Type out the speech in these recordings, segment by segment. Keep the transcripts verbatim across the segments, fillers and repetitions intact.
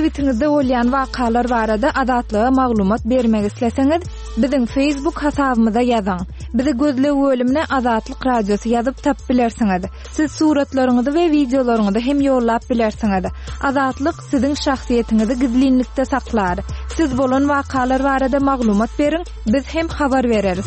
Sebitiňizde bolýan wakalar barada Azatlyga maglumat bermek isleseňiz, biziň Facebook hasabymyza ýazyň. Bizi gözleg bölümine Azatlyk Radiosy ýazyp tapyp bilersiňiz. Siz suratlaryňyzy we wideolaryňyzy hem ýollap bilersiňiz. Azatlyk siziň şahsyýetiňizi gizlinlikde saklar. Siz bolan wakalar barada maglumat beriň, biz hem habar bereris.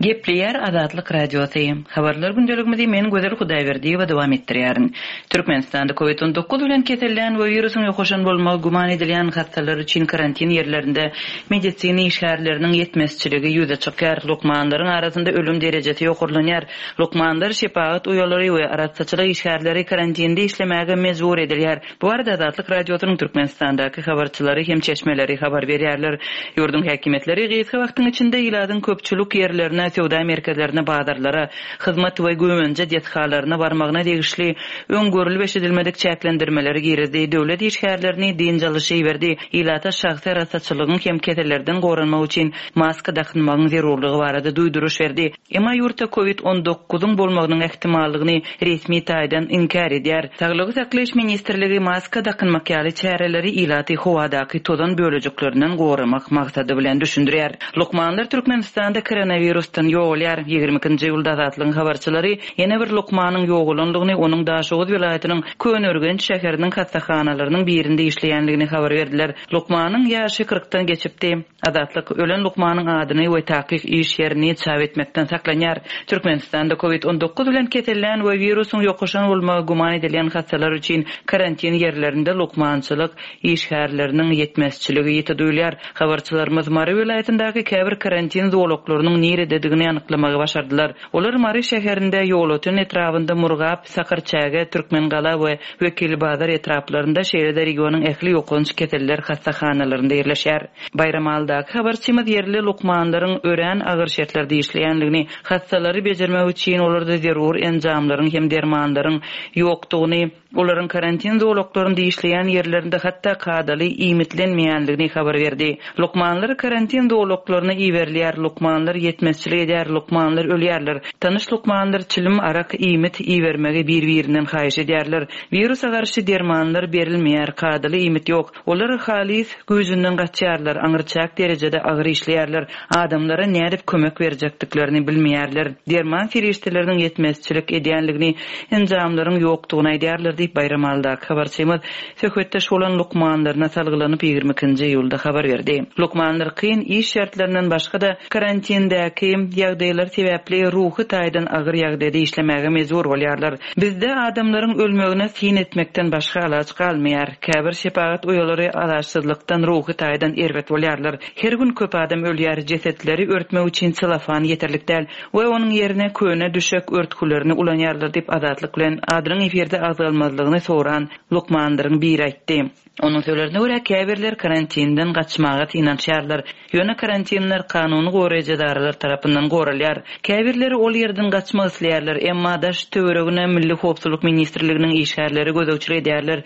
Gepleýär Azatlyk Radiosy. Habarlar gündeligimizi men Gözel Hudaýberdiýewa dowam etdirýärin. Türkmenistanda COVID on dokuz bilen kesellän we wirusyň ýokaşan bolmagy güman edilýän hassalar üçin karantin ýerlerinde medisina işgärleriniň ýetmezçiligi ýüze çykýar. Lukmanlaryň arasynda ölüm derejesi ýokarlanýar. Lukmanlar, şepagat uýalary we arassaçylyk işgärleri karantinde işlemäge mejbur edilýär. Bu arada Azatlyk Radiosynyň Türkmenistandaky habarçylary hem çeşmeleri habar berýärler. Ýurduň häkimiýetleri gysga wagtyň içinde ilatyň köpçülik ýerlerine, söwda merkezlerine, bazarlara, hyzmat we güwänje desgalaryna barmagyna degişli öň görülip eşidilmedik çäklendirmeleri girizdi. Döwlet işgärlerini dynç alyşy berdi. Ilata şahsy arassaçylygyň hem kesellerden goranmak üçin maska dakynmagyň zerurlygy barada duýduryş berdi. Emma ýurtda COVID on dokuzyň bolmagynyň ähtimallygyny resmi taýdan inkär edýär. Saglygy saklaýyş ministrligi maska dakynmak ýaly çäreleri ilaty howadaky tozan bölejiklerinden goramak maksady bilen düşündirýär. Lukmanlar Türkmenistanda koronavirusdan ýogalýar. Ýigrimi ikinji ýylda Azatlygyň habarçylary ýene bir lukmanyň ýogalandygyny, onuň Daşoguz welaýatynyň Köneürgenç şäheriniň hastahanalarynyň birinde işleýändigini habar berdiler. Lukmanyň ýaşy kyrkdan geçipdi. Azatlyk ölen lukmanyň adyny we takyk iş ýerini çap etmekden saklanýar. Türkmenistanda COVID on dokuz bilen kesellän we wirusyň ýokaşan bolmagy güman edilýän hassalar üçin karantin ýerlerinde lukmançylyk işgärleriniň ýetmezçiligi ýiti duýulýar. Habarçylarymyz Mary welaýatyndaky käbir karantin zolaklarynyň nirededigini anyklamagy başardylar. Olar Mary şäherinde, Ýolöten etrabynda, Murgap, Sakarçäge, Türkmengala we Wekilbazar etraplarynda, şeýle-de regionyň ähli ýokanç keseller hassahanalarynda ýerleşýär. Baýramalydaky habarçymyz ýerli lukmanlaryň örän agyr şertlerde işleýändigini, hassalary bejermek üçin olarda zerur enjamlaryň hem dermanlaryň ýokdugyny, olaryň karantin zolaklarynda işleýän ýerlerinde hatda kadaly iýmitlenmeýändigini habar berdi. Lukmanlar karantin zolaklaryna iberilýär, lukmanlar ýetmezçilik edýär, lukmanlar ölýärler. Tanyş lukmanlar çilim, arak, iýmit ibermegi bir-birinden haýyş edýärler. Wirusa garşy dermanlar berilmeýär, kadaly iýmit ýok. Olar halis güýjünden gaçýarlar, aňyrçak derejede agyr işleýärler. Adamlara nädip kömek berjekdiklerini bilmeýärler. Derman serişdeleriniň ýetmezçilik edýänligini, enjamlaryň ýokdugyny aýdýarlar diýip Baýramalydaky habarçymyz söhbetdeş bolan lukmanlaryna salgylanyp ýigrimi ikinji iýulda habar berdi. Lukmanlar kyn iş şertlerinden başga-da karantindäki ýagdaýlar sebäpli ruhy taýdan agyr ýagdaýda işlemäge mejbur bolýarlar. Bizde adamlaryň ölmegine syn etmekden başga alaç galmaýar. Käbir şepagat uýalary alaçsyzlykdan ruhy taýdan erbet bolýarlar. Her gün köp adam ölýär, jesetleri örtmek üçin selofan ýeterlik däl we onuň ýerine köne düşek örtgülerini ulanýarlar diýip Azatlyk bilen adynyň efirde agzalmazlygyny soran lukmanlaryň biri aýtdy. Onuň sözlerine görä käbirler karantinden gaçmaga synanyşýarlar. Ýöne karantinler kanuny goraýjy edaralar tarapyndan goralýar. Käbirleri ol ýerden gaçmak isleýärler, emma daş töweregine Milli Howpsuzlyk Ministrliginiň işgärleri gözegçilik edýärler.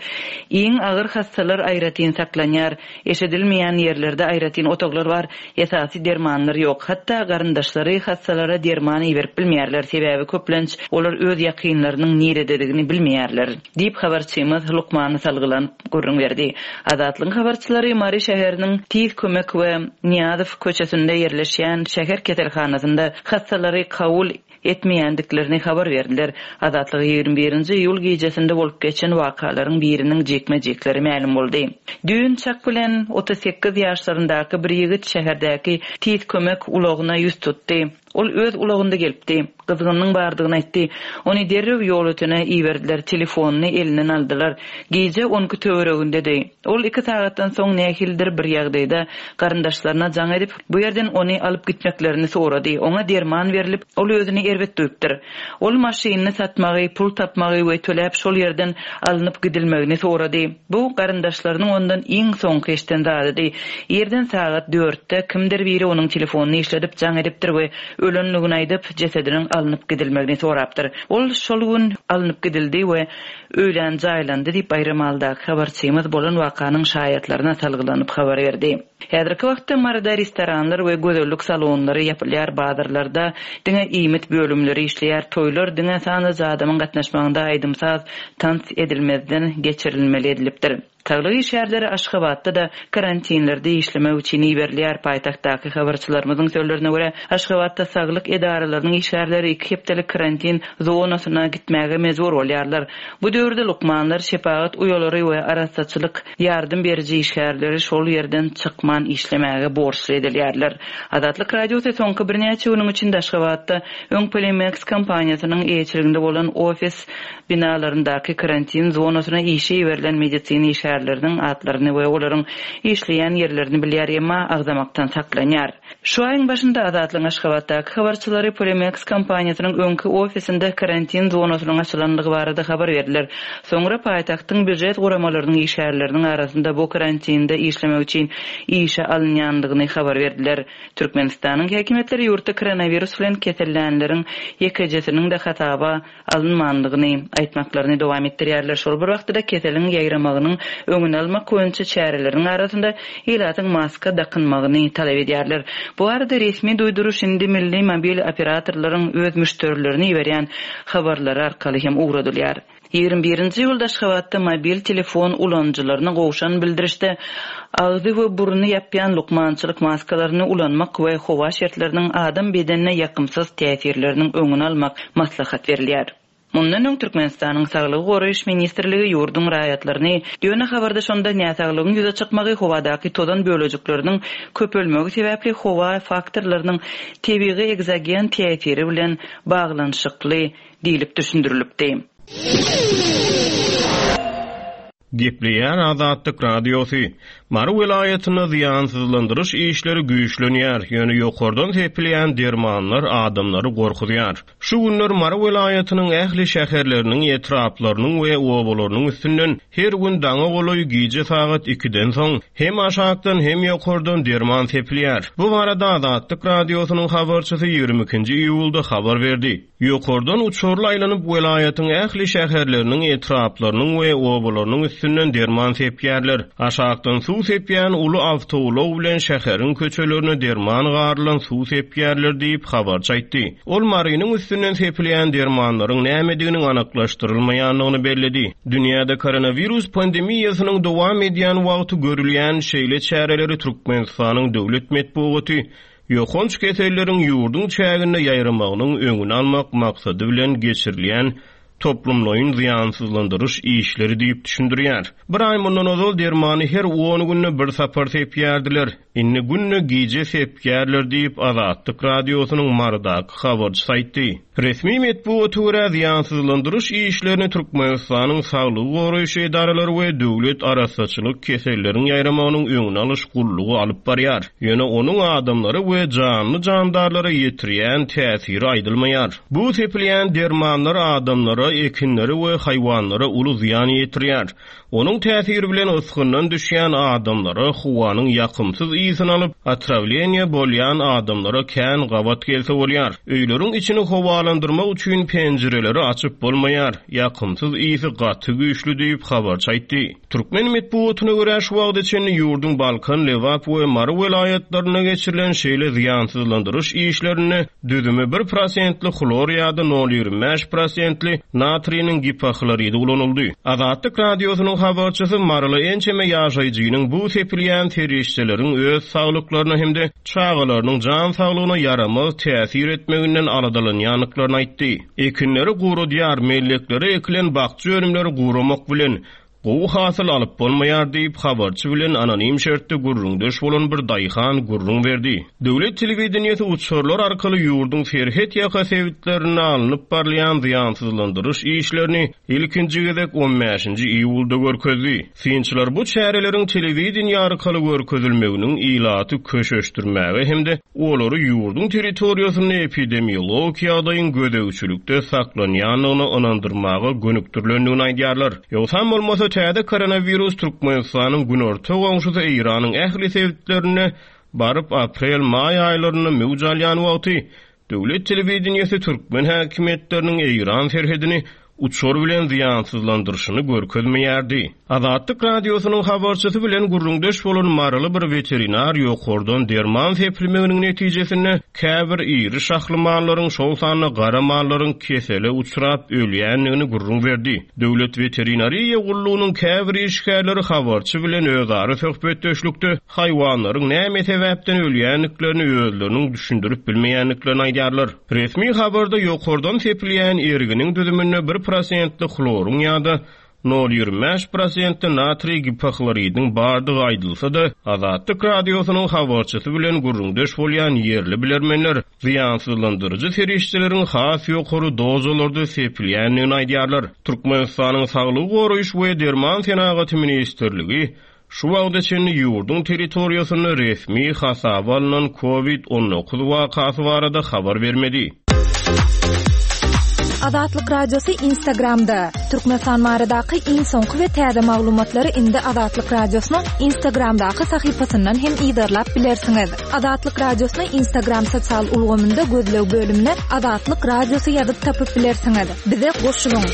Iň agyr hassalar aýratyn saklanýar. Eşidilmeýän ýerlerde aýratyn otaglar bar, esasy dermanlar ýok. Hatda garyndaşlary hassalara derman iberip bilmeýärler, sebäbi köplenç olar öz ýakynlarynyň nirededigini bilmeýärler diýip habarçymyz lukmany salgylanyp gürrüň berdi. Azatlygyň habarçylary Mary şäheriniň Tiz kömek we Niýazow köçesinde ýerleşýän şäher keselhanasynda hassalary kabul etmeýändiklerini habar berdiler. Azatlygy ýigrimi birinji iýul gijesinde bolup geçen wakalaryň biriniň jikme-jikleri mälim boldy. Düýn çak bilen otuz sekiz ýaşlaryndaky bir ýigit şäherdäki tiz kömek ulagyna ýüz tutdy. Ol öz ulagynda gelipdi. Gyzgynyň bardygyny aýtdy. Ony derrew Ýolötene iberdiler, telefonyny elinden aldylar. Gije on iki töweregindedi. Ol iki sagatdan soň nähilidir bir ýagdaýda garyndaşlaryna jaň edip, bu ýerden ony alyp gitmeklerini sorady. Oňa derman berilip, ol özüni erbet duýupdyr. Ol maşynyny satmagy, pul tapmagy we töläp şol ýerden alnyp gidilmegini sorady. Bu garyndaşlarynyň ondan iň soňky eşiden zadydy. Ýerden sagat dörtde kimdir biri onuň telefonyny işledip jaň edipdir we ölenligini aýdyp, jesediniň alnyp gidilmegini sorapdyr. Ol şol gün alnyp gidildi we öýlän jaýlandy diýip Baýramalydaky habarçymyz bolan wakanyň şaýatlaryna salgylanyp habar berdi. Häzirki wagtda Maryda restoranlar we gözellik salonlary ýapylýar, bazarlarda diňe iýmit bölümleri işleýär, toýlar diňe sanlyja adamyň gatnaşmagynda aýdym-saz tans edilmezden geçirilmeli edilipdir. Saglyk işgärleri Aşgabatda-da karantinlerde işlemek üçin iberilýär. Paýtagtdaky habarçylarymyzyň sözlerine görä, Aşgabatda saglyk edaralarynyň işgärleri iki hepdelik karantin zonasyna gitmäge mejbur bolýarlar. Bu döwürde lukmanlar, şepagat uýalary we arassaçylyk ýardam beriji işgärleri şol ýerden çykman işlemäge borçly edilýärler. Azatlyk Radiosy soňky birnäçe günüň içinde Aşgabatda öň Polimeks kompaniýasynyň eýeçiliginde bolan ofis binalaryndaky karantin zonasyna işe iberilen medisina işgärleriniň atlaryny we olaryň işleýän ýerlerini bilýär, emma agzamakdan saklanýar. Şu aýyň başynda Azatlygyň Aşgabatdaky habarçylary Polimeks kompaniýasynyň öňki ofisinde karantin zonasynyň açylandygy barada habar berdiler. Soňra paýtagtyň býujet guramalarynyň işgärleriniň arasynda bu karantinde işlemek üçin işe alynýandygyny habar berdiler. Türkmenistanyň häkimiýetleri ýurtda koronawirus bilen kesellänleriň ýekejesiniň-de hasaba alynmandygyny aýtmaklaryny dowam etdirýärler. Şol bir wagtda keseliň ýaýramagynyň öňüni almak boýunça çäreleriň arasynda ilatyň maska dakynmagyny talap edýärler. Bu arada resmi duýduryş indi milli mobil operatorlaryň öz müşderilerini iberýän habarlary arkaly hem ugradylýar. Ýigrimi birinji iýulda Aşgabatda mobil telefon ulanyjylaryna gowşan bildirişde agzy we burny ýapýan lukmançylyk maskalaryny ulanmak we howa şertleriniň adam bedenine ýakymsyz täsirleriniň öňüni almak maslahat berilýär. Mundan öň Türkmenistanyň Saglygy goraýyş ministrligi ýurduň raýatlaryny ýöne habarda şonda näsaglygyň ýüze çykmagy howadaky tozan bölejikleriniň köpelmegi sebäpli howa faktorlarynyň tebigy ekzogen täsiri bilen baglanyşykly diýlip düşündirilipdi. Gepleýär Azatlyk Radiosy. Mary welaýatynda zyýansyzlandyryş işleri güýçlenýär, ýöne ýokardan sepilýän dermanlar adamlary gorkuzýar. Şu günler Mary welaýatynyň ähli şäherleriniň, etraplarynyň we obalarynyň üstünden her gün daňa golaý gije sagat ikiden soň hem aşakdan hem ýokardan derman sepilýär. Bu barada Azatlyk Radiosynyň habarçysy ýigrimi ikinji iýulda habar berdi. Ýokardan uçarly aýlanyp welaýatyň ähli şäherleriniň, etraplarynyň we obalarynyň üstünden derman sepýärler. Aşakdan suw sepýän uly awtoulag bilen şäheriň köçelerine derman garylan suw sepýärler diýip habarçy aýtdy. Ol Marynyň üstünden sepilýän dermanlaryň nämediginiň anyklaşdyrylmaýandygyny belledi. Dünýäde koronawirus pandemiýasynyň dowam edýän wagty görülýän şeýle çäreleri Türkmenistanyň döwlet metbugaty ýokanç keselleriň ýurduň çäginde ýaýramagynyň öňüni almak maksady bilen geçirilýän toplumlaýyn zyýansyzlandyryş işleri diýip düşündirýär. Bir aý mundan ozal dermany her on günde bir sapar sepýärdiler. Indi günde gije sepýärler diýip Azatlyk Radiosynyň Marydaky habarçysy aýtdy. Resmi metbugata görä zyýansyzlandyryş işlerini Türkmenistanyň Saglygy goraýyş edaralary we döwlet arassaçylyk keselleriň ýaýramagynyň öňüni alyş gullugy alyp barýar. Ýöne onuň adamlara we janly jandarlara ýetirýän täsiri aýdylmaýar. Bu sepilýän dermanlar adamlara, ekinlere we haýwanlara uly zyýan ýetirýär. Onuň täsiri bilen ysgyndan düşýän adamlara howanyň ýakymsyz ysyn alyp, otrawleniýe bolýan adamlara kän gabat gelse bolýar. Öýleriň içini howalandyrmak üçin penjireleri açyp bolmaýar. Ýakymsyz ysy gaty güýçli diýip habarçy aýtdy. Türkmen metbugatyna görä şu wagta çenli ýurduň Balkan, Lebap we Mary welaýatlarynda geçirilen şeýle zyýansyzlandyryş işlerinde düzümi bir prosentli hlor ýa-da nol ýigrimi bäş prosentli natriniň gipohloridi ulanyldy. Azatlyk Radiosynyň habarçysy Maryly ençeme ýaşaýjynyň bu sepilýän serişdeleriň öz saglyklaryna hem-de çagalarynyň jan saglygyna ýaramaz täsir etmeginden aladalanýandyklaryny aýtdy. Ekinleri guradýar, melleklere ekilen bakja önümleri guramak bilen gowy hasyl alyp bolmaýar diýip habarçy bilen anonim şertde gürrüňdeş bolan bir daýhan gürrüň berdi. Döwlet telewideniýesi uçarlar arkaly ýurduň serhet ýaka sebitlerinde alnyp barylýan zyýansyzlandyryş işlerini ilkinji gezek on bäşinji iýulda görkezdi. Synçylar bu çäreleriň telewideniýe arkaly görkezilmeginiň ilaty köşeşdirmäge hem-de olary ýurduň territoriýasynda epidemiologik ýagdaýyň gözegçilikde saklanýandygyny ynandyrmaga gönükdirilendigini aýdýarlar. Ýogsam bolmasa täze koronawirus Türkmenistanyň günorta goňşusy Eýranyň ähli sebitlerinde baryp aprel-maý aýlarynda möwç alýan wagty döwlet telewideniýesi türkmen häkimiýetleriniň Eýran serhedini uçar bilen zyýansyzlandyryşyny görkezmeýärdi. Azatlyk Radiosynyň habarçysy bilen gürrüňdeş bolan Maryly bir weterinar ýokardan derman sepilmeginiň netijesinde käbir iri şahly mallaryň, şol sanda gara mallaryň kesele uçrap ölýändigini gürrüň berdi. Döwlet weterinariýa gullugynyň käbir işgärleri habarçy bilen özara söhbetdeşlikde haýwanlaryň näme sebäpden ölýändiklerini özleriniň düşündirip bilmeýändiklerini aýdýarlar. Resmi habarda ýokardan sepilýän erginiň düzüminde bir prosentli hloryň ýa-da nol ýigrimi bäş prosentli natriý gipohloridiň bardygy aýdylsa-da, Azatlyk Radiosynyň habarçysy bilen gürrüňdeş bolýan ýerli bilermenler zyýansyzlandyryjy serişdeleriň has ýokary dozalarda sepilýändigini aýdýarlar. Türkmenistanyň Saglygy goraýyş we Derman Senagaty Ministrligi şu wagta çenli ýurduň territoriýasynda resmi hasaba alynan COVID on dokuz wakasy barada habar bermedi. Azatlyk Radiosy Instagramda. Türkmenistan baradaky iň soňky we täze maglumatlary indi Azatlyk Radiosynyň Instagramdaky sahypasyndan hem yzarlap bilersiňiz. Azatlyk Radiosyny Instagram sosial ulgamynda gözleg bölümine Azatlyk Radiosy ýazyp tapyp bilersiňiz. Bize goşulyň.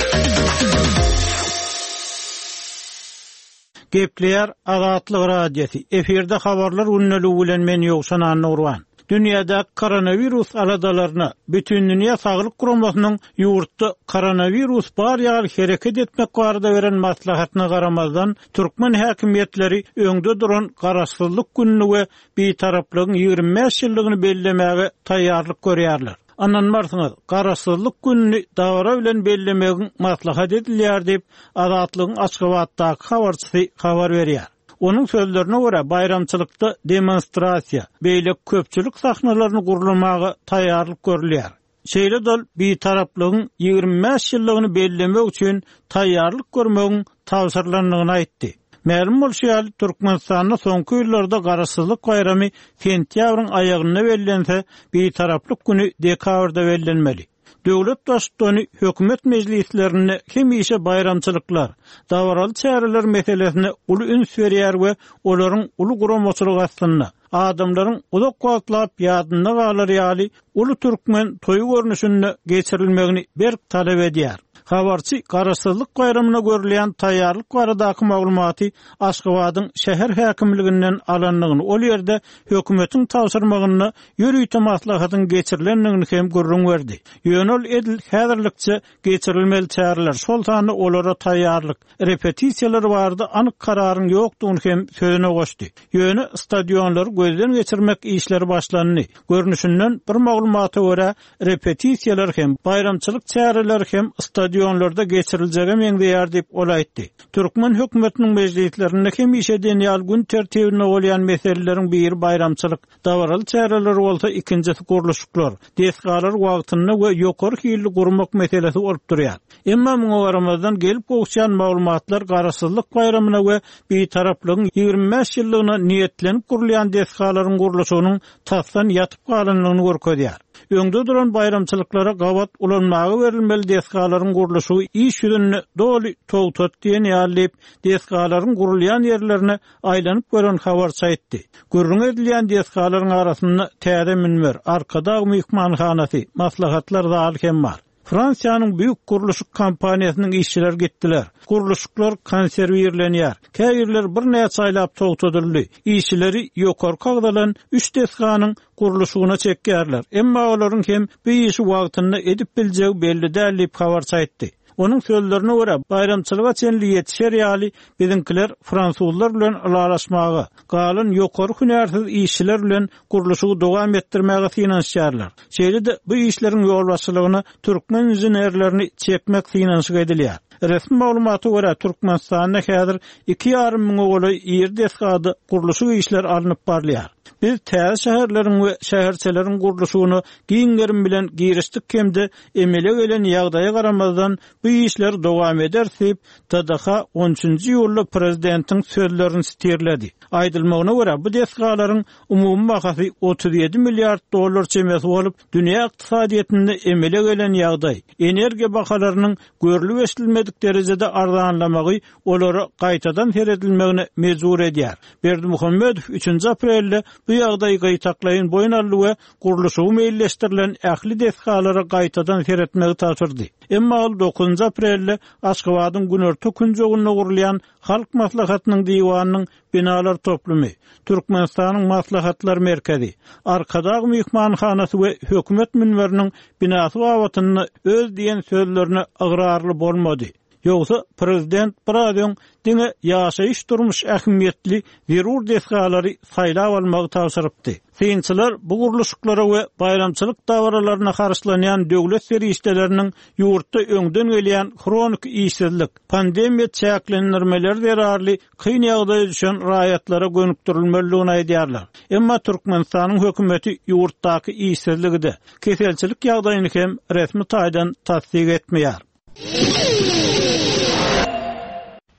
Gepleýär Azatlyk Radiosy. Efirde habarlar gündeligi bilen men Ýowşan Annurwan. Dünýäde koronavirus aladalaryna bütün dünýä saglyk guramasynyň ýurtda koronavirus bar ýaly hereket etmek barada beren maslahatyna garamazdan türkmen häkimiýetleri öňde duran garaşsyzlyk gününi we bitaraplygyň ýigrimi bäş ýyllygyny bellemäge taýýarlyk görýärler. Ananmarsyňyz, garaşsyzlyk gününi dabara bilen bellemegiň maslahat edilýär diýip Azatlygyň Aşgabatdaky habarçysy habar berýär. Onuň sözlerine görä baýramçylykda demonstrasiýa, beýleki köpçülik sahnalaryny gurlamaga taýýarlyk görülýär. Şeýle dol bitaraplygyň ýigrimi bäş ýyllygyny bellemek üçin taýýarlyk görmegiň tabşyrylandygyny aýtdy. Mälim bolşy ýaly Türkmenistanda soňky ýyllarda garaşsyzlyk baýramy sentýabryň aýagynda bellense, bitaraplyk günü dekabrda bellenmeli. Döwlet baştutany hökümet mejlislerinde hemişe baýramçylyklar, dabaraly çäreler meselesine uly üns berýär we olaryň uly guramaçylyk astynda adamlaryň uzak wagtlap ýadynda galar ýaly uly türkmen toýy görnüşinde geçirilmegini berk talap edýär. Habarçy garaşsyzlyk baýramyna görülýän taýýarlyk baradaky maglumaty Aşgabadyň şäher häkimliginden alandygyny, ol ýerde hökümetiň tabşyrmagynda ýörite maslahatyň geçirilendigini hem gürrüň berdi. Ýöne ol edil häzirlikçe geçirilmeli çäreler, şol sanda olara taýýarlyk, repetisiýalar barada anyk kararyň ýokdugyny hem sözüne goşdy. Ýöne stadionlary gözden geçirmek işleri başlandy. Görnüşinden bir maglumata görä repetisiýalar hem baýramçylyk çäreleri hem stadionlarda geçiriljege meňzeýär diýip ol aýtdy. Türkmen hökümetiniň mejlislerinde hemişe diýen gün tertibinde bolýan meseleleriň biri baýramçylyk, dabaraly çäreler bolsa ikinjisi gurluşyklar, desgalar wagtynda we ýokary hilli gurmak meselesi bolup durýar. Emma muňa garamazdan gelip gowuşýan maglumatlar garaşsyzlyk baýramyna we bitaraplygyň ýigrimi bäş ýyllygyna niýetlenip gurulýan desgalaryň gurluşygynyň tasdan ýatyp galandygyny görkezýär. Öňde duran baýramçylyklara gabat ulanmaga berilmeli desgalaryň gurluşygy iş ýüzünde doly togtat diýen ýaly diýip, desgalaryň gurulýan ýerlerine aýlanyp gören habarçy aýtdy. Gürrüň edilýän desgalaryň arasynda täze münber, Arkadag myhmanhanasy, maslahatlar zaly hem bar. Fransiýanyň büyük gurluşyk kompaniýasynyň işçileri gitdiler. Gurluşyklar konserwirlenýär. Käýerler bir näçe aýlap togtadyldy. Işçileri ýokarky agzalan üç desganyň gurluşygyna çekýärler. Emma olaryň hem bu işi wagtynda edip biljegi belli däl diýip habarçy aýtdy. Onuň sözlerine görä baýramçylyga çenli ýetişer ýaly biziňkiler fransuzlar bilen ylalaşmaga, galan ýokary hünärsiz işçiler bilen gurluşygy dowam etdirmäge synanyşýarlar. Şeýle-de bu işleriň ýolbaşçylygyna türkmen inženerlerini çekmek synanyşyk edilýär. Resmi maglumata görä Türkmenistanda häzir iki ýarym müňe golaý iri desgada gurluşyk işleri alnyp barylýar. Biz täze şäherleriň we şäherçeleriň gurluşygyna giň gerim bilen girişdik hem-de emele gelen ýagdaýa garamazdan bu işler dowam eder diýip T D H on üçünji iýulda prezidentiň sözlerini sitirledi. Aýdylmagyna görä bu desgalaryň umumy bahasy otuz ýedi milliard dollar çemesi bolup, dünýä ykdysadyýetinde emele gelen ýagdaý, energiýa bahalarynyň görlüp eşidilmedik derejede arzanlamagy olara gaýtadan seredilmegine mejbur edýär. Berdimuhamedow üçünji aprelde bu ýagdaýy gaýtaklaýyn boýun aldy we gurluşygy meýilleşdirilen ähli desgalara gaýtadan seretmegi tabşyrdy. Emma ol dokuzynjy aprelde Aşgabadyň günorta künjeginde gurulýan Halk Maslahatynyň diwanynyň binalar toplumy, Türkmenistanyň Maslahatlar merkezi, Arkadag myhmanhanasy we hökümet münberiniň binasy babatynda öz diýen sözlerine ygrarly bolmady. Ýogsa prezident biraz öň diňe ýaşaýyş durmuş ähmiýetli zerur desgalary saýlap almagy tabşyrypdy. Synçylar bu gurluşyklara we baýramçylyk dabaralaryna harçlanýan döwlet serişdeleriniň ýurtda öňden gelýän hronik işsizlik, pandemiýa çäklendirmeleri zerarly kyn ýagdaýa düşen raýatlara gönükdirilmelidigini aýdýarlar. Emma Türkmenistanyň hökümeti ýurtdaky işsizligi-de, keselçilik ýagdaýyny hem resmi taýdan tassyk etmeýär.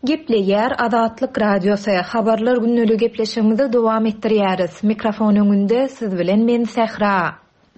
Gepleýär Azatlyk Radiosy. Habarlar günlügi gepleşigimizi dowam etdirýäris. Mikrofon öňünde siz bilen men Sähra.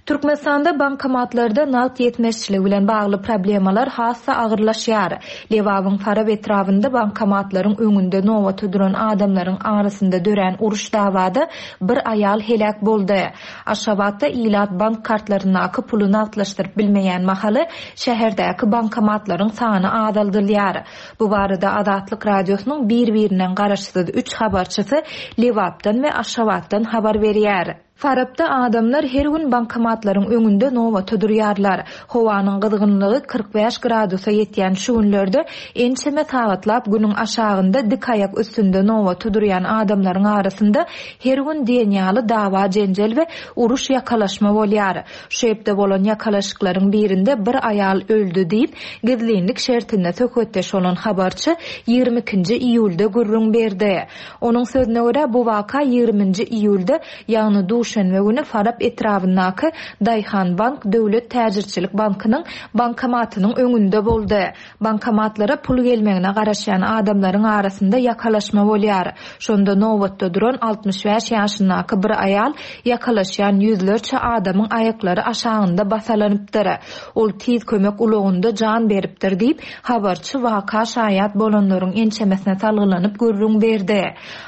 Türkmenistanda bankomatlarda nagt ýetmezçiligi bilen bagly problemalar has-da agyrlaşýar. Lebabyň Farap etrabynda bankomatlaryň öňünde nobata duran adamlaryň arasynda dörän uruş dawada bir aýal heläk boldy. Aşgabatda ilat bank kartlaryndaky puly nagtlaşdyryp bilmeýän mahaly şäherdäki bankomatlaryň sany azaldylýar. Bu barada Azatlyk Radiosynyň bir-birinden garaşsyz üç habarçysy Lebapdan we Aşgabatdan habar berýär. Farapda adamlar her gün bankomatlaryň öňünde nobata durýarlar. Howanyň gyzgynlygy kyrk bäş gradusa ýetýän şu günlerde ençeme sagatlap günüň aşagynda dik aýak üstünde nobata durýan adamlaryň arasynda her gün diýen ýaly dawa jenjel we uruş ýakalaşma bolýar. Şu hepde bolan ýakalaşyklaryň birinde bir aýal öldi diýip, gizlinlik şertinde söhbetdeş bolan habarçy ýigrimi ikinji iýulda gürrüň berdi. Onuň sözüne görä bu waka ýigriminji iýulda, ýagny duşenbe güni Farap etrabyndaky Daýhan Bank Döwlet Täjirçilik Bankynyň bankomatynyň öňünde boldy. Bankomatlara pul gelmegine garaşýan adamlaryň arasynda ýakalaşma bolýar. Şonda nobatda duran altmyş bäş ýaşyndaky bir aýal ýakalaşýan ýüzlerçe adamyň aýaklary aşagynda basalanypdyr. Ol tiz kömek ulagynda jan beripdir diýip, habarçy waka şaýat bolanlaryň ençemesine salgylanyp gürrüň berdi.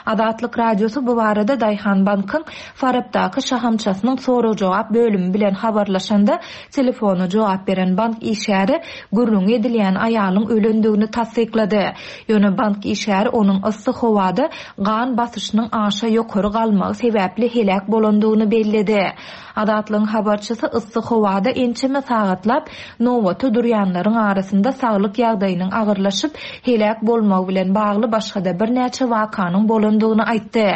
Azatlyk Radiosy bu barada Daýhan Bankyň Farapdaky şahamçasynyň sorag-jogap bölümi bilen habarlaşanda telefona jogap beren bank işgäri gürrüň edilýän aýalyň ölendigini tassyklady. Ýöne bank işgäri onuň yssy howada gan basyşynyň aşa ýokary galmagy sebäpli heläk bolandygyny belledi. Azatlygyň habarçysy yssy howada ençeme sagatlap nobata durýanlaryň arasynda saglyk ýagdaýynyň agyrlaşyp heläk bolmagy bilen bagly başga-da birnäçe wakanyň bolandygyny aýtdy.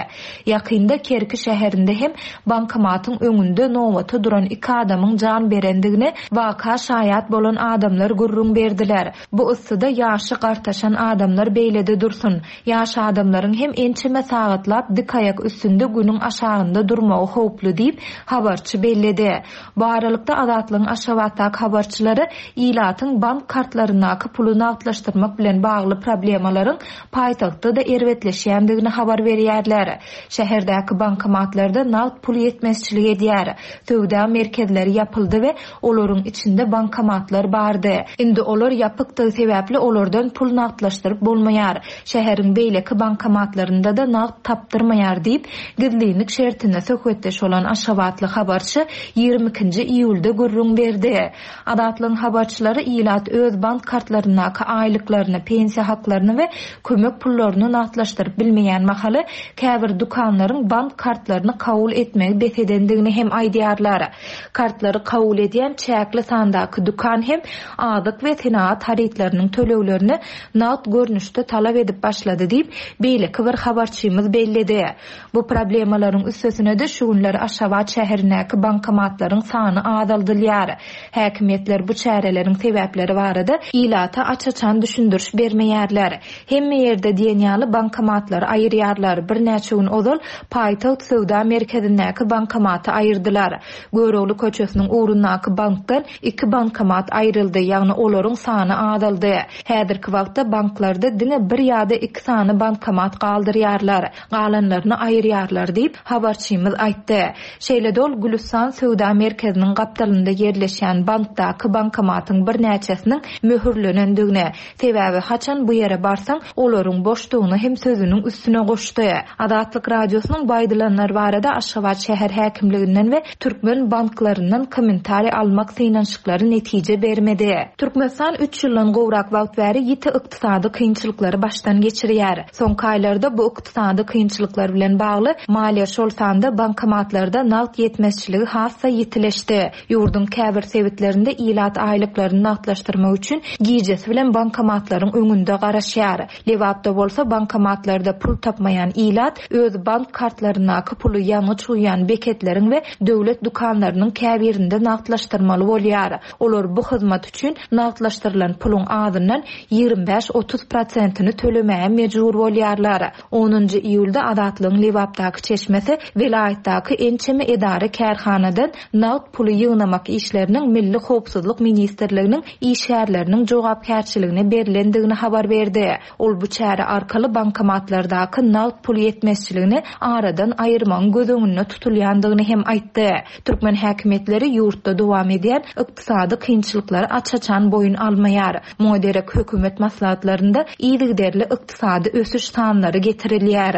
Ýakynda Kerki şäherinde hem bankomatyň öňünde nobata duran iki adamyň jan berendigini waka şaýat bolan adamlar gürrüň berdiler. Bu yssyda ýaşy gartaşan adamlar beýlede dursun. Ýaş adamlaryň hem ençeme sagatlap dik aýak üstünde günüň aşagynda durmagy howply diýip habarçy belledi. Bu aralykda Azatlygyň Aşgabatdaky habarçylary ilatyň bank kartlaryndaky puly nagtlaşdyrmak bilen bagly problemalaryň paýtagtda da erbetleşýändigini habar berýärler. Şäherdäki bankomatlarda nagt pul ýetmezçilik edýär. Söwda merkezleri ýapyldy we olaryň içinde bankomatlar bardy. Indi olar ýapykdygy sebäpli olardan pul nagtlaşdyryp bolmaýar. Şäheriň beýleki bankomatlarynda da nagt tapdyrmaýar diýip, gizlinlik şertinde söhbetdeş bolan Aşgabatly habarçy ýigrimi ikinji iýulda gürrüň berdi. Azatlygyň habarçylary ilat öz bank kartlaryndaky aýlyklaryny, pensiýa haklaryny we kömek pullaryny nagtlaşdyryp bilmeýän mahaly käbir dükanlaryň bank kartlaryny kabul etmegi bes edendigini hem aýdýarlar. Kartlary kabul edýän çäkli sandaky dükan hem azyk we senagat harytlarynyň töleglerini nagt görnüşde talap edip başlady diýip, beýleki bir habarçymyz belledi. Bu problemalaryň üstesine de şu günler Aşgabat şäherindäki bankomatlaryň sany azaldylýar. Häkimiýetler bu çäreleriň sebäpleri barada ilata aç-açan düşündiriş bermeýärler. Hemme ýerde diýen ýaly bankomatlary aýyrýarlar. Birnäçe gün ozal paýtagt söwda merkezindäki bankomaty aýyrdylar. Görogly köçesiniň ugrundaky bankdan iki bankomat aýryldy, ýagny olaryň sany azaldy. Häzirki wagtda banklarda diňe bir ýa-da iki sany bankomat galdyrýarlar, galanlaryny aýyrýarlar diýip habarçymyz aýtdy. Şeýle-de ol Gülüstan söwda merkeziniň gapdalynda ýerleşýän bankdaky bankomatyň birnäçesiniň möhürlenendigini, sebäbi haçan bu ýere barsaň, olaryň boşdugyny hem sözüniň üstüne goşdy. Azatlyk Radiosynyň bu aýdylanlar barada Aşgabat Aşgabat şäher häkimliginden we türkmen banklaryndan kommentariý almak synanyşyklary netije bermedi. Türkmenistan üç ýyldan gowrak wagt bäri ýiti ykdysady kynçylyklary başdan geçirýär. Soňky aýlarda bu ykdysady kynçylyklar bilen bagly maliýe, şol sanda bankomatlarda nagt ýetmezçiligi has-da ýitileşdi. Ýurduň käbir sebitlerinde ilat aýlyklaryny nagtlaşdyrmak üçin gijesi bilen bankomatlaryň öňünde garaşýar. Lebapda bolsa bankomatlarda pul tapmaýan ilat öz bank kartlaryndaky puly ýangyç guýýan beketleriň we döwlet dükanlarynyň käbirinde nagtlaşdyrmaly bolýar. Olar bu hyzmat üçin nagtlaşdyrylan puluň azyndan ýigrimi bäş otuz prosentini tölemäge mejbur bolýarlar. Onunjy iýulda Azatlygyň Lebapdaky çeşmesi welaýatdaky ençeme edara kärhanadan nagt puly ýygnamak işleriniň Milli Howpsuzlyk Ministrliginiň işgärleriniň jogapkärçiligine berilendigini habar berdi. Ol bu çäre arkaly bankomatlardaky nagt pul ýetmezçiligini aradan aýyrmagyň göz öňünde tutulýandygyny hem aýtdy. Türkmen häkimiýetleri ýurtda dowam edýän ykdysady kynçylyklary aç-açan boýun almaýar. Muňa derek hökümet maslahatlarynda yzygiderli ykdysady ösüş sanlary getirilýär.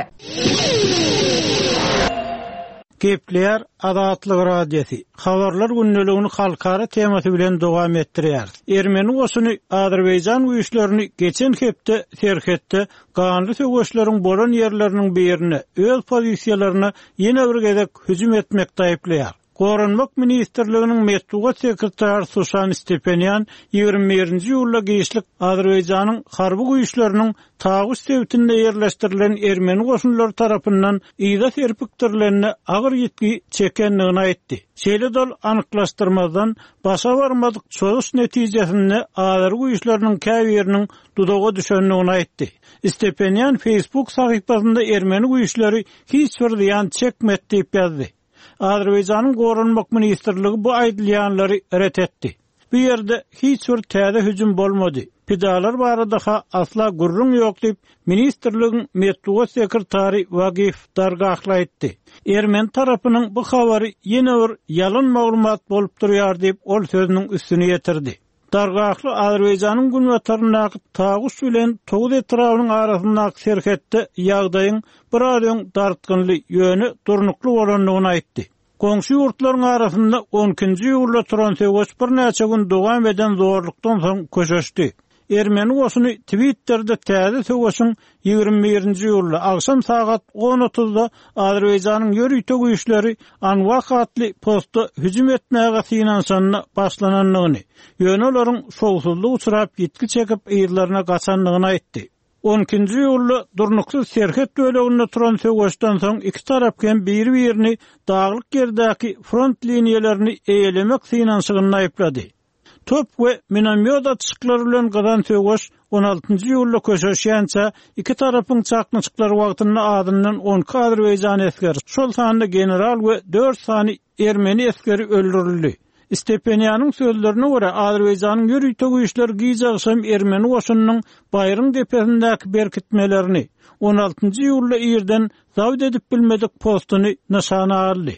Gepleýär Azatlyk Radiosy. Habarlar gündeligini halkara temasy bilen dowam etdirýär. Ermeni goşuny Azerbaýjan güýçlerini geçen hepde serhetde ganly söweşleriň bolan ýerleriniň birine öz pozisiýalaryna ýene bir gezek hüjüm etmekde aýyplaýar. Goranmak Ministrliginiň metbugat sekretary Suşan Stepenýan ýigrimi birinji iýulda giçlik Azerbaýjanyň harby güýçleriniň Taguş sebitinde ýerleşdirilen ermeni goşunlary tarapyndan yza serpikdirilenine agyr ýitgi çekendigini aýtdy. Şeýle dol anyklaşdyrmazdan başa barmadyk çozuş netijesinde Azer güýçleriniň käbiriniň dudaga düşendigini aýtdy. Stepenýan Facebook sahypasynda ermeni güýçleri hiç bir zyýan çekmedi diýip ýazdy. Azerbaýjanyň Goranmak Ministrligi bu aýdylýanlary ret etdi. Bu ýerde hiç bir täze hüjüm bolmady. Pidalar barada ha asla gürrüň ýok diýip, ministrligiň metbugat sekretary Wagif Dargahly aýtdy. Ermeni tarapynyň bu habary ýene bir ýalan maglumat bolup durýar diýip, ol sözüniň üstüni ýetirdi. Dargahly Azerbaýjanyň günbataryndaky Taguş bilen Toguz etrabynyň arasyndaky serhetde ýagdaýyň biraz öň dartgynly, ýöne durnukly bolandygyny aýtdy. Goňşy ýurtlaryň arasynda on ikinji iýulda turan söweş birnäçe gün dowam eden zorlukdan soň köşeşdi. Ermeni goşuny Twitter'de täze söweşiň ýigrimi birinji iýulda agşam sagat on otuzda Azerbaýjanyň ýörite güýçleri Anwah atly posta hüjüm etmäge synanyşanyna başlanandygyny, ýöne olaryň şowsuzlyk uçrap ýitgi çekip yzlaryna gaçandygyny aýtdy. On ikinji iýulda durnuksyz serhet böleginde turan söweşden soň iki tarap hem biri-birini daglyk ýerdäki front liniýalaryny eýelemek synanyşygyny aýyplady. Top we minomyot atyşyklary bilen gyzan söweş on altynjy iýulda köşeşýänçä iki tarapyň çaknyşyklary wagtynda azyndan on iki Azerbaýjan esgeri, şol sanda general we dört sany ermeni esgeri öldürildi. Stepenýanyň sözlerine görä Azerbaýjanyň ýörite güýçleri giç agşam ermeni goşunynyň Baýryň depesindäki berkitmelerini on altynjy iýulda irden zabt edip bilmedik postuny nyşana aldy.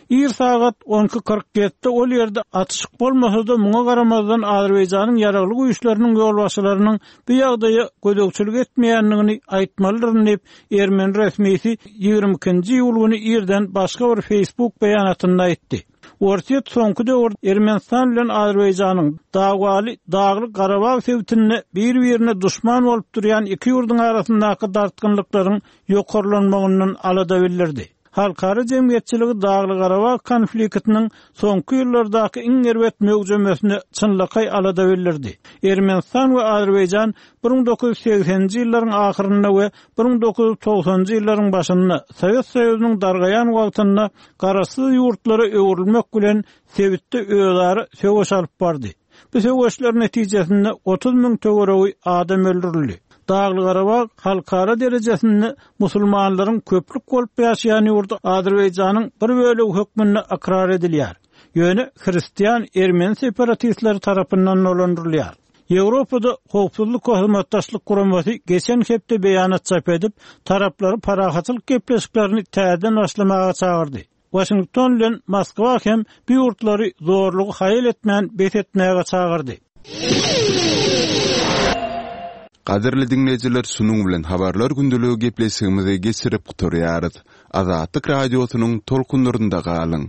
Ir sagat on iki kyrk ýedide ol ýerde atyşyk bolmasa-da muňa garamazdan Azerbaýjanyň ýaragly güýçleriniň ýolbaşçylarynyň bu ýagdaýa gözegçilik etmeýändigini aýtmalydyryn diýip, ermeni resmisi ýigrimi ikinji iýul güni irden başga bir Facebook beýanatynda aýtdy. Orsýet soňky döwür Ermenistan bilen Azerbaýjanyň Dagwaly Dagly Garabag sebitinde bir-birine duşman bolup durýan iki ýurduň arasyndaky dartgynlyklaryň ýokarlanmagyndan alada bildirdi. Halkara jemgyýetçiligi Dagly Garabag konfliktiniň soňky ýyllardaky iň erbet möwjemesine çynlakaý alada bildirdi. Ermenistan we Azerbaýjan bir müň dokuz ýüz segseninji ýyllaryň ahyrynda we bir müň dokuz ýüz togsanynjy ýyllaryň başynda Sowet Soýuzynyň dargaýan wagtynda garaşsyz ýurtlara öwrülmek bilen sebitde özara söweş alyp bardy. Bu söweşler netijesinde otuz müň töweregi adam öldürildi. Dagly Garabag halkara derejesinde musulmanlaryň köplük bolup ýaşaýan ýurdy Azerbaýjanyň bir bölegi hökmünde ykrar edilýär. Ýöne hristian ermeni separatistleri tarapyndan dolandyrylýar. Ýewropada howpsuzlyk we hyzmatdaşlyk guramasy geçen hepde beýanat çap edip, taraplary parahatçylyk gepleşiklerini täzeden başlamaga çagyrdy. Washington bilen Moskwa hem bu ýurtlary zorlugy haýal etmän bes etmäge çagyrdy. Gadyrly diňleýjiler şunuň bilen habarlar gündeligi gepleşigimizi geçirip gutarýarys. Azatlyk Radiosynyň tolkunlarynda galyň.